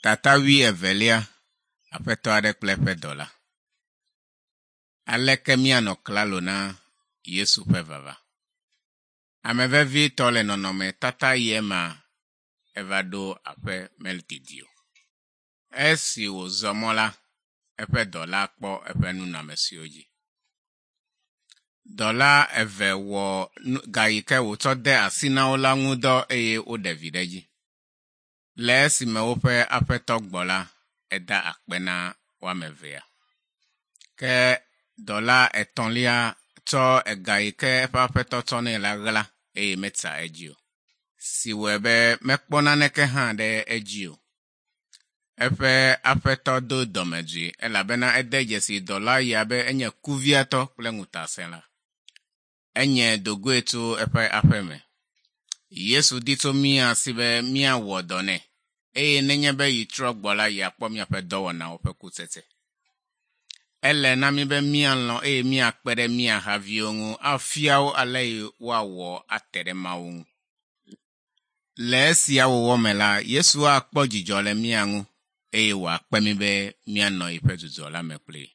Tata wuievelia, Aƒetɔ aɖe kple eƒe dɔla. Aleke míanɔ klalo na Yesu ƒe vava? Ame vevitɔ le nɔnɔmetata ye ma eva ɖo aƒe medidi o. Esi wòzɔ mɔ la, eƒe dɔla kpɔ eƒe nunɔamesiwo dzi. Dɔla eve wɔ ga yi ke wòtsɔ de asi na wo la ŋu dɔ eye woɖe vi ɖe edzi. Le esime woƒe aƒetɔ gbɔ la, eda akpe na woame evea. Ke dɔla etɔ̃lia tsɔ ega yi ke eƒe aƒetɔ tsɔ nɛ la ɣla eye metsa edzi o, si wɔe be mekpɔ naneke hã ɖe edzi o. Eƒe aƒetɔ do dɔmedzoe elabena ede dzesi dɔla ya be enye kuviatɔ kple ŋutasẽla. Enye dogoe tso eƒe aƒe me. Yesu di tso mía si be míawɔ dɔ nɛ eye nenye be yitrɔ gbɔ la yeakpɔ míaƒe dɔwɔnawo ƒe kutsetse. Ele na mí be míalɔ̃ eye míakpe ɖe mía haviwo ŋu afia wo ale yi woawɔ ate ɖe Mawu ŋu. Le esia wɔwɔ me la, Yesu akpɔ dzidzɔ le mía ŋu eye wòakpe mí be míanɔ yiƒe dzudzɔ la me kplii.